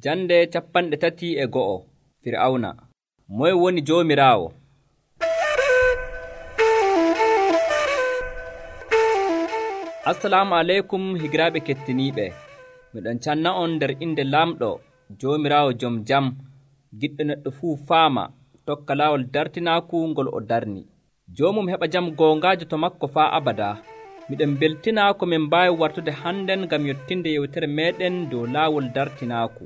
Jande 31 Fir'awna. Moye woni Joomiraawo? Assalamu aleykum higiraaɓe kettiniiɓe. Miɗon canna'on nder inde Lamɗo Joomiraawo jom jam, giɗɗo neɗɗo fuu faama, tokka laawol dartinaaku ngol o darni. Joomum heɓa jam goongaajo to makko faa abadaa. Miɗen mbeltinaa ko min mbaawi wartude hannden ngam yottinde yewtere meeɗen dow laawol dartinaaku.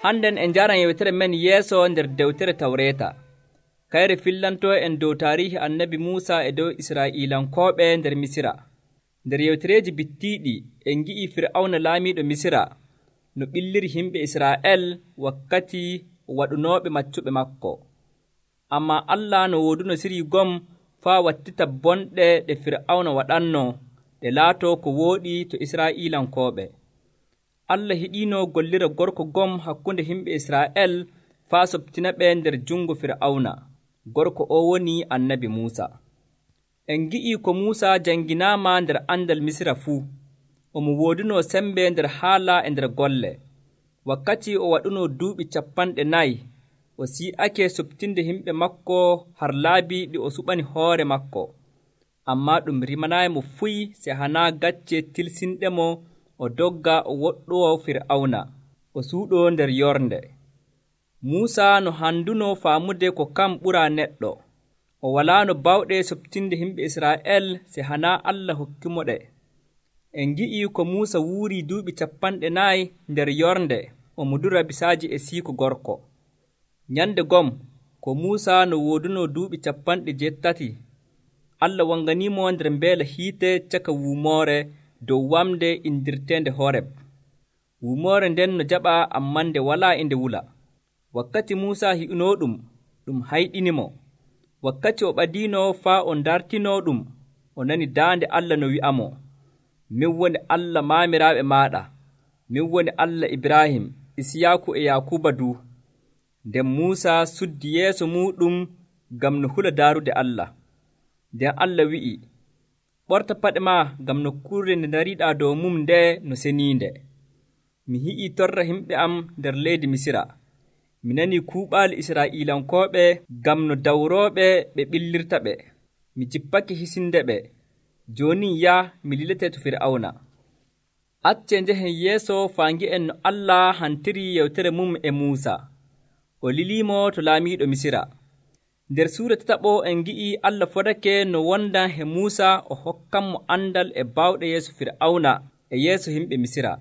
Hannden en njaran yewtere men yeeso nder dewtere Tawreeta. Kayre fillantoo en dow taariihi annabi Muusa e dow Israa'iilankooɓe nder Misira. Nder yewtereeji bittiiɗi en ngi'ii Fir'awna laamiiɗo Misira no ɓilliri himɓe Israa'el wakkati o waɗunooɓe maccuɓe makko. Ammaa Allah no wooduno sirii gom faa wattita bonɗe ɗe Fir'awna waɗanno ɗe laatoo ko wooɗi to Israa'iilankooɓe. Allah hiɗiino gollira gorko gom hakkunde himɓe Israa'el faa soɓtina ɓe nder jungo Fir'awna. Gorko o woni annabi Muusa. En ngi'ii ko Muusa jannginaama nder andal Misira fuu. Omo woodunoo sembe nder haala e nder golle. Wakkati o waɗunoo duuɓi 40 o si'ake soɓtinde himɓe makko har laabi ɗi o suɓani hoore makko. Ammaa ɗum rimanaymo fuy se hanaa gacce tilsinɗemo o dogga o woɗɗowo Fir'awna, o suuɗoo nder yornde. Muusa no handunoo faamude ko kam ɓuraa neɗɗo. O walaa no bawɗe soɓtinde himɓe Israa'el se hanaa Allah hokkimo ɗe. En ngi'ii ko Muusa wuurii duuɓi 40 nder yornde omo dura bisaaji e siiko gorko. Nyande gom ko Muusa no woodunoo duuɓi 80, Allah wanganiimo nder mbeela hiite caka wuumoore dow wamde indirteende Horeb. Wuumoore nden no jaɓa ammaa nde walaa e nde wula. Wakkati Muusa hi'unoo ɗum hayɗinimo. Wakkati o ɓadiino faa o ndartinoo ɗum, o nani daande Allah no wi'amo, min woni Allah maamiraaɓe maaɗa, min woni Allah Ibrahim, Isiyaaku e Yaakuba duu. Nden Muusa suddi yeeso muuɗum ngam no hula daarude Allah. Nden Allah wi'i, ɓorta paɗe maa ngam nokkuure nde ndariiɗaa dow mum nde no seniinde. Mi hi'ii torra himɓe am nder leydi Misira. Mi nanii kuuɓaali Israa'iilankooɓe ngam no dawrooɓe ɓe ɓillirta ɓe. Mi jippake hisinde ɓe. Jooni mi liletee to Fir'awna. Accee njehen yeeso faa ngi'en no Allah hantirii yewtere mum e Muusa. O liliimo to laamiiɗo Misira. Nder suura 3 en ngi'ii Allah fodake no wondan he Muusa o hokkanmo andal e baawɗe yeeso Fir'awna e yeeso himɓe Misira.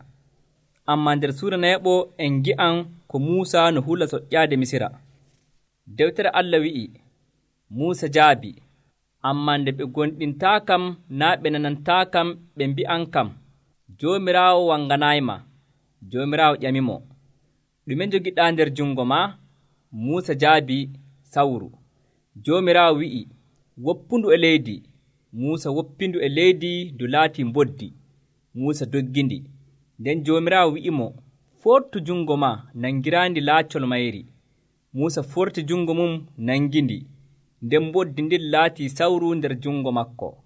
Ammaa nder suura 4 en ngi'an ko Muusa no hula soƴƴaade Misira. Dewtere Allah wi'i, Muusa jaabi, ammaa nde ɓe gonɗintaakam naa ɓe nanantaakam ɓe mbi'ankam, Joomiraawo wanganayma. Joomiraawo ƴamimo, ɗume njogiɗaa nder jungo maa? Muusa jaabi, sawru. Joomiraawo wi'i, woppundu e leydi. Muusa woppindu e leydi ndu laatii mboddi. Muusa doggindi. Nden Joomiraawo wi'imo, fortu jungo maa nangiraandi laacol mayri. Muusa forti jungo mum nangindi. Nden mboddi ndin laatii sawru nder jungo makko.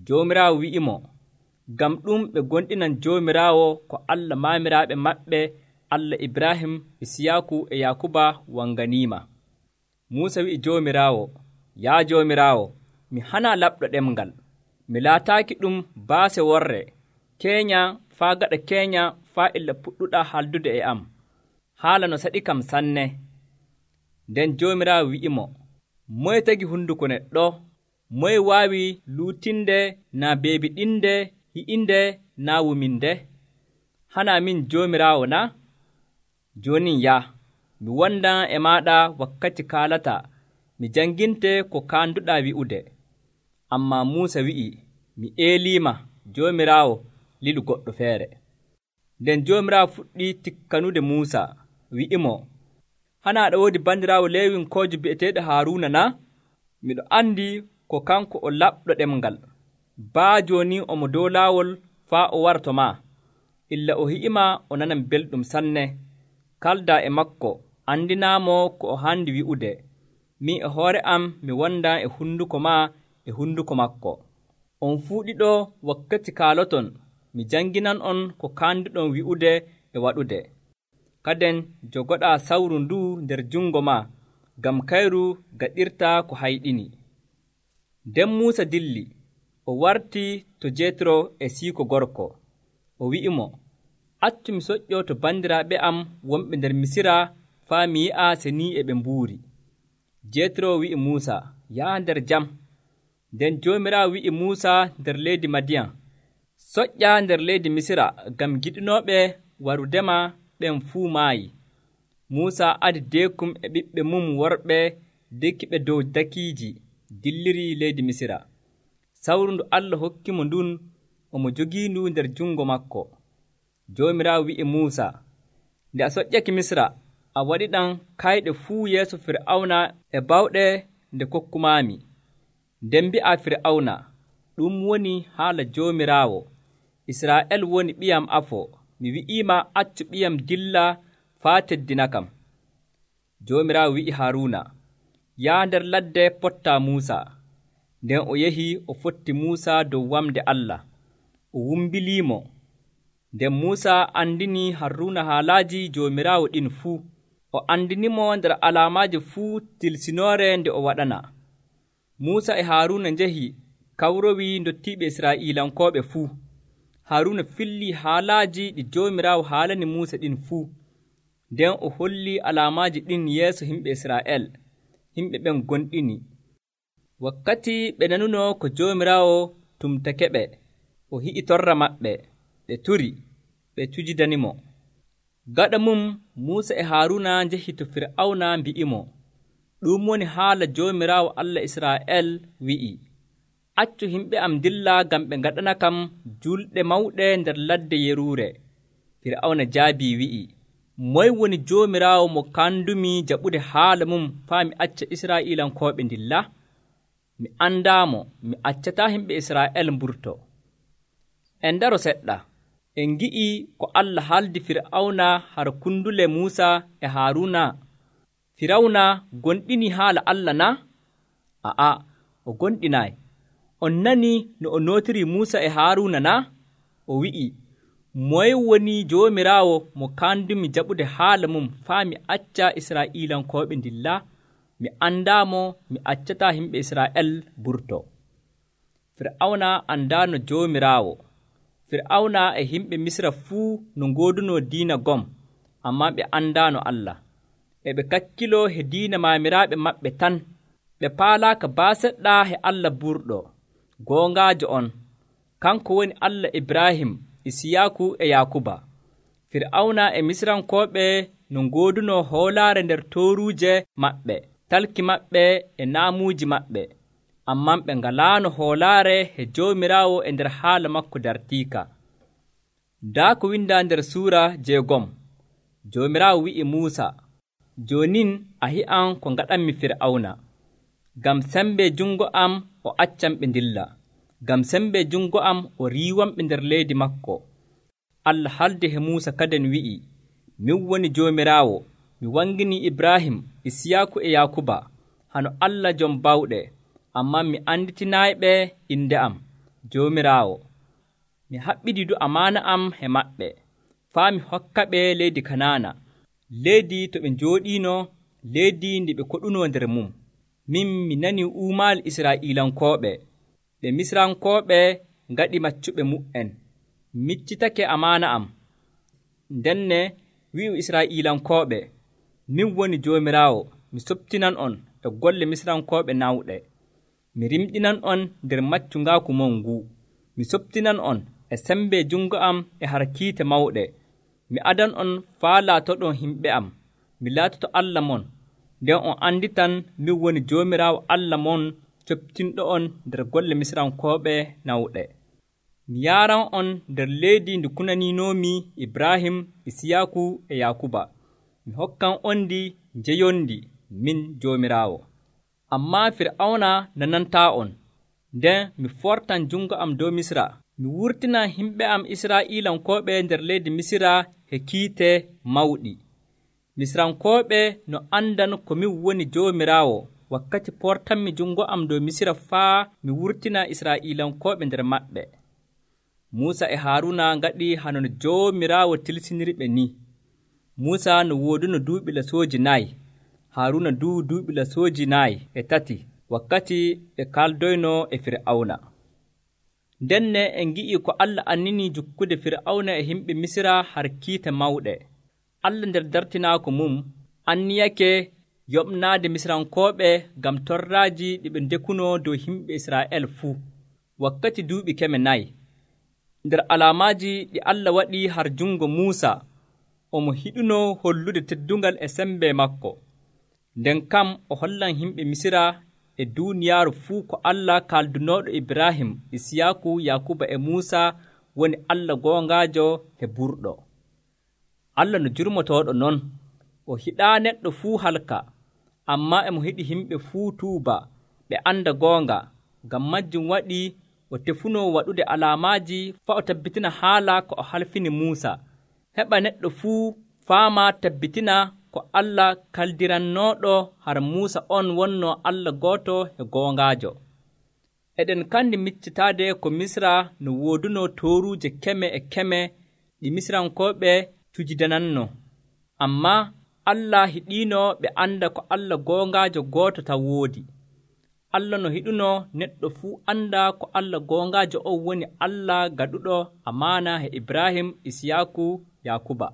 Joomiraawo wi'imo, ngam ɗum ɓe gonɗinan Joomiraawo ko Allah maamiraaɓe maɓɓe, Allah Ibrahim, Isiyaaku e Yaakuba wanganiima. Muusa wi'i Joomiraawo, yaa Joomiraawo, mi hanaa laɓɗo ɗemngal. Mi laataaki ɗum baase worre, keenya faa gaɗa keenya faa illa puɗɗuɗaa haldude e am. Haala no saɗi kam sanne. Nden Joomiraawo wi'imo, moye tagi hunduko neɗɗo? Moye waawi luutinde naa beebiɗinde, hi'inde naa wuminde? Hanaa min Joomiraawo na? Jooni mi wondan e maaɗa wakkati kaalata, mi jannginte ko kaanduɗaa wi'ude. Ammaa Muusa wi'i, mi eeliima, Joomiraawo, lilu goɗɗo feere. Nden Joomiraawo fuɗɗi tikkanude Muusa, wi'imo, hanaa aɗa woodi banndiraawo Leewinkoojo bi'eteeɗo Haaruuna na? Miɗo anndi ko kanko o laɓɗo ɗemngal. Baa jooni omo dow laawol faa o wara to maa. Illa o hi'ima o nanan belɗum sanne. Kaldaa e makko, andinaamo ko o handi wi'ude. Min e hoore am mi wondaa e hunduko maa e hunduko makko. On fuu ɗiɗo wakkati kaaloton, mi janginan on ko kaanduɗon wi'ude e waɗude. Kaden jogoɗaa sawru nduu nder jungo maa, ngam kayru gaɗirtaa ko hayɗini. Nden Muusa dilli, o wartii to Jeetro e siiko gorko. O wi'imo, accu mi soƴƴoo to bandiraaɓe am wonɓe nder Misira faa mi yi'a se ni e ɓe mbuuri. Jeetro wi'i Muusa, yaha nder jam. Nden Joomiraawo wi'i Muusa nder leydi Madiyan, soƴƴaa nder leydi Misira, ngam giɗinooɓe warudema ɓen fuu maayi. Muusa adi deekum e ɓiɓɓe mum worɓe dekkiɓe dow dakiiji, dilliri leydi Misira. Sawru ndu Allah hokkimo ndun omo jogiindu nder jungo makko. Joomiraawo wi'i Muusa, nde a soƴƴake Misira, a waɗiɗam kayɗe fuu yeeso Fir'awna e bawɗe nde kokkumaami. Nden mbi'a Fir'awna, ɗum woni haala Joomiraawo. Israa'el woni ɓiyam afo. Mi wi'iima accu ɓiyam dilla faa teddinakam. Joomiraawo wi'i Haaruuna, yaha nder ladde pottaa Muusa. Nden o yehi o fotti Muusa dow wamde Allah, o wumbiliimo. Nden Muusa andini Haaruuna haalaaji Joomiraawo ɗin fuu. O andinimo nder alaamaaji fuu tilsinoore nde o waɗana. Muusa e Haaruuna njehi kawrowii ndottiiɓe Israa'iilankooɓe fuu. Haaruuna fillii haalaaji ɗi Joomiraawo haalani Muusa ɗin fuu. Nden o hollii alaamaaji ɗin yeeso yimɓe Israa'el. Yimɓe ɓen gonɗini. Wakkati ɓe nanunoo ko Joomiraawo tumtake ɓe, o hi'i torra maɓɓe, ɓe turi, ɓe cujidanimo. Gaɗa mum Muusa e Haaruuna njehi to Fir'awna mbi'imo, ɗum woni haala Joomiraawo Allah Israa'el wi'i, accu yimɓe am dilla ngam ɓe ngaɗana kam julɗe mawɗe nder ladde yeruure. Fir'awna jaabii wi'i, moy woni Joomiraawo mo kandumi jaɓude haala mum faa mi acca Israa'iilankooɓe ndilla? Mi andaamo, mi accataa yimɓe Israa'el mburto. En ndaro seɗɗa. En ngi'i ko Allah haaldi Fir'awna har kundule Muusa e Haaruuna. Firawna gonɗini haala Allah na? A'a, o gonɗinaayi. On nani no o nootiri Muusa e Haaruuna na? O wi'i, moye woni Joomiraawo mo kandumi jaɓude haala mum faa mi acca Israa'iilankooɓe ndilla? Mi andaamo, mi accataa yimɓe Israa'el burto. Fir'awna andaano Joomiraawo. Fir'awna e yimɓe Misra fuu no ngoodunoo diina gom, ammaa ɓe andaano Allah. E ɓe kakkiloo he diina maamiraaɓe maɓɓe tan. Ɓe paalaaka baaseɗɗa he Allah burɗo. Goongaajo on, kanko woni Allah Ibrahim, Isiyaaku e Yaakuba. Fir'awna e Misrankooɓe no ngoodunoo hoolaare nder tooruuje maɓɓe, talki maɓɓe e naamuuji maɓɓe. Ammaa ɓe ngalaano hoolaare he Joomiraawo e nder haala makko dartiika. Daa ko windaa nder suura 6. Joomiraawo wi'i Muusa, joonin a hi'an ko ngaɗanmi Fir'awna. Ngam sembe jungo am o accanɓe ndilla. Ngam sembe jungo am o riiwanɓe nder leydi makko. Allah haaldi he Muusa kaden wi'i, min woni Joomiraawo, mi wangini Ibrahim, Isiyaaku e Yaakuba, hano Allah jom bawɗe, ammaa mi anditinaayiɓe inde am, Joomiraawo. Mi haɓɓididu amaana am he maɓɓe, faa mi hokka ɓe leydi Kanaana, leydi to ɓe njooɗiino, leydi ndi ɓe koɗunoo nder mum. Min mi nani uumaali Israa'iilankooɓe, ɓe Misrankooɓe ngaɗi maccuɓe mu'en. Miccitake amaana am. Ndenne wi'u Israa'iilankooɓe, min woni Joomiraawo, mi soptinan on e golle Misrankooɓe nawɗe. Mi rimɗinan on nder maccungaaku mon nguu. Mi soptinan on e sembe jungo am e harkiite mawɗe. Mi adan on faa laatoɗon himɓe am. Mi laatoto Allah mon. Nden on anditan min woni Joomiraawo Allah mon coptinɗo on nder golle Misrankooɓe nawɗe. Mi yaaran on nder leydi ndi kunaninoomi Ibrahim, Isiyaaku e Yaakuba. Mi hokkan on ndi njeyondi min Joomiraawo. Ammaa Fir'awna nanantaa on. Nden mi fortan jungo am dow Misra. Mi wurtinan yimɓe am Israa'iilankooɓe nder leydi Misira he kiite mawɗi. Misrankooɓe no andan ko min woni Joomiraawo wakkati portanmi jungo am dow Misira faa mi wurtina Israa'iilankooɓe nder maɓɓe. Muusa e Haaruna ngaɗi hano no Joomiraawo tilsiniriɓe ni. Muusa no wooduno duuɓi lasooji 4, Haaruna duuɓi lasooji 4 wakkati ɓe kaldoyno e Fir'awna. Ndenne en ngi'i ko Allah annini jukkude Fir'awna e himɓe Misra har kiita mawɗe. Allah nder dartinaako mum anniyake yoɓnaade Misrankooɓe ngam torraaji ɗi ɓe ndekuno dow himɓe Israa'el fuu wakkati duuɓi 4. Nder alaamaaji ɗi Allah waɗi har jungo Muusa, omo hiɗuno hollude teddungal e sembe makko. Nden kam o hollan himɓe Misra e duuniyaaru fuu ko Allah kaldunooɗo Ibrahim, Isiyaku, Yakuba e Muusa woni Allah goongaajo e burɗo. Allah no jurmotooɗo non, o hiɗaa neɗɗo fuu halka, ammaa emo hiɗi himɓe fuu tuuba ɓe anda goonga. Ngam majjum waɗi o tefunoo waɗude alaamaaji faa o tabbitina haala ko o halfini Muusa, heɓa neɗɗo fuu faama tabbitina ko Allah kaldirannooɗo har Muusa on wonnoo Allah gooto e goongaajo. Eɗen kandi miccitaade ko Misra no woodunoo tooruuje keme e keme ɗi Misrankooɓe tujidananno. Ammaa Allah hiɗiino ɓe anda ko Allah goongaajo gooto taw woodi. Allah no hiɗuno neɗɗo fuu anda ko Allah goongaajo on woni Allah gaɗuɗo amaana he Ibrahim, Isiyaku, Yakuba.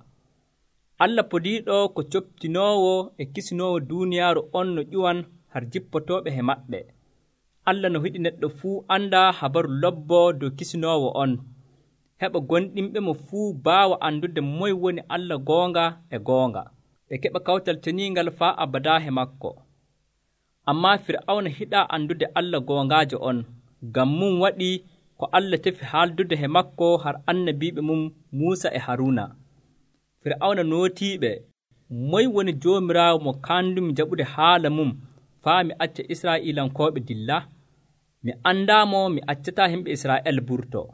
Allah podiiɗo ko coptinoowo e kisinoowo duuniyaaru on no ƴuwan har jippotooɓe he maɓɓe. Allah no hiɗi neɗɗo fuu anda habaru lobbo dow kisinoowo on, heɓa gonɗinɓemo fuu baawa andude moye woni Allah goonga e goonga, ɓe keɓa kawtal teniingal faa abadaa he makko. Ammaa Fir'awna hiɗaa andude Allah goongaajo on, ngam mum waɗi ko Allah tefi haaldude he makko har annabiiɓe mum Muusa e Haaruna. Fir'awna nootiiɓe, moye woni Joomiraawo mo kaandumi jaɓude haala mum faa mi acca Israa'iilankooɓe dilla? Mi andaamo mi accataa himɓe Israa'el burtoo.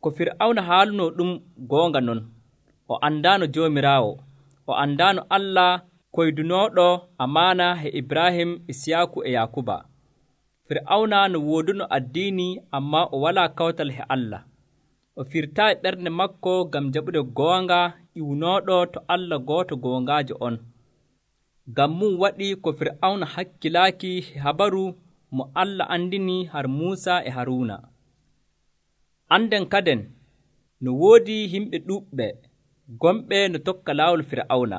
Ko Fir'awna haalunoo ɗum goonga non. O andaano Joomiraawo, o andaano Allah koydunooɗo amaana he Ibrahim, Isiyaku e Yakuba. Fir'awna no wooduno addiini ammaa o walaa kawtal he Allah. O firtaayi ɓernde makko ngam jaɓude goonga ƴiwnooɗo to Allah gooto goongaajo on. Ngam mum waɗi ko Fir'awna hakkilaaki he habaru mo Allah andini har Muusa e Haaruna. Anden kaden no woodi himɓe ɗuuɓɓe gomɓe no tokka laawol Fir'awna.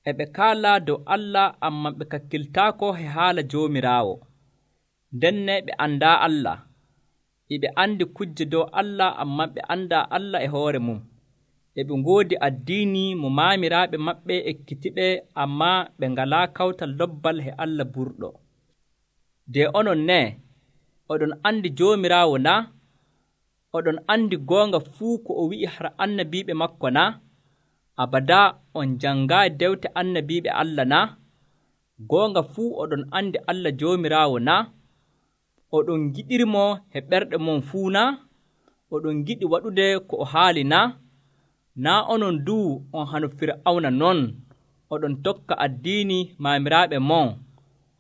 E ɓe kaalaa dow Allah ammaa ɓe kakkiltaako he haala Joomiraawo. Ndenne ɓe andaa Allah. E ɓe andi kujje dow Allah ammaa ɓe andaa Allah e hoore mum. E ɓe ngoodi addiini mo maamiraaɓe maɓɓe ekkitiɓe ammaa ɓe ngalaa kawtal lobbal he Allah burɗo. De onon ne, oɗon andi Joomiraawo na? Oɗon andi goonga fuu ko o wi'i har annabiiɓe makko na? Abadaa on janngaayi dewte annabiiɓe Allah na? Goonga fuu oɗon andi Allah Joomiraawo na? Oɗon giɗirmo he ɓerɗe mon fuu na? Oɗon giɗi waɗude ko o haali na? Naa onon duu on hano Fir'awna non, oɗon tokka addiini maamiraaɓe mon,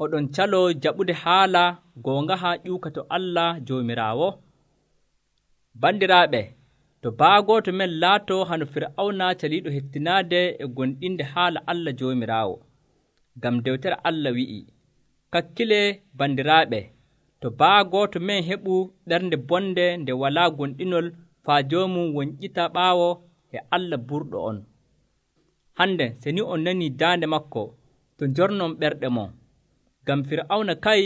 oɗon caloo jaɓude haala goongaha ƴuuka to Allah Joomiraawo? Bandiraaɓe, to baagooto men laatoo hano Fir'awna caliiɗo hettinaade e gonɗinde haala Allah Joomiraawo. Ngam dewtere Allah wi'i, kakkile bandiraaɓe, to baagooto men heɓu ɓernde bonde nde walaa gonɗinol faa joomum wonƴita ɓaawo e Allah burɗo on. Hande se ni on nanii daande makko to njornon ɓerɗe mon. Ngam Fir'awna kay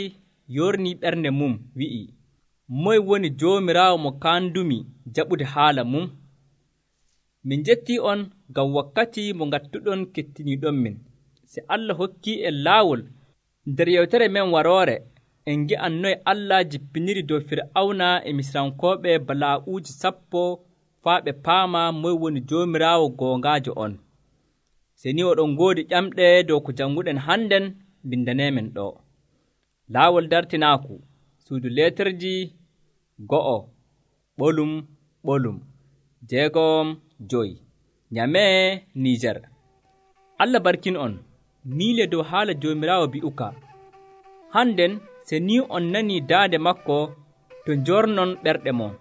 yornii ɓernde mum wi'i, moye woni Joomiraawo mo kaandumi jaɓude haala mum? Min jettii on ngam wakkati mo ngattuɗon kettiniiɗonmin. Se Allah hokkii en laawol nder yewtere men waroore, en ngi'an noye Allah jippiniri dow Fir'awna e Misrankooɓe balaa'uuji 10 faa ɓe paama moye woni Joomiraawo goongaajo on. Se ni oɗon ngoodi ƴamɗe dow ko jannguɗen hannden, mbindaneemen ɗo. Laawol dartinaaku, suudu leeterji 1 ɓolum 6 Nyamee, Niijer. Allah barkin on, miile dow haala Joomiraawo bi'uka. Hannden se ni on nanii daande makko to njornon ɓerɗe mon.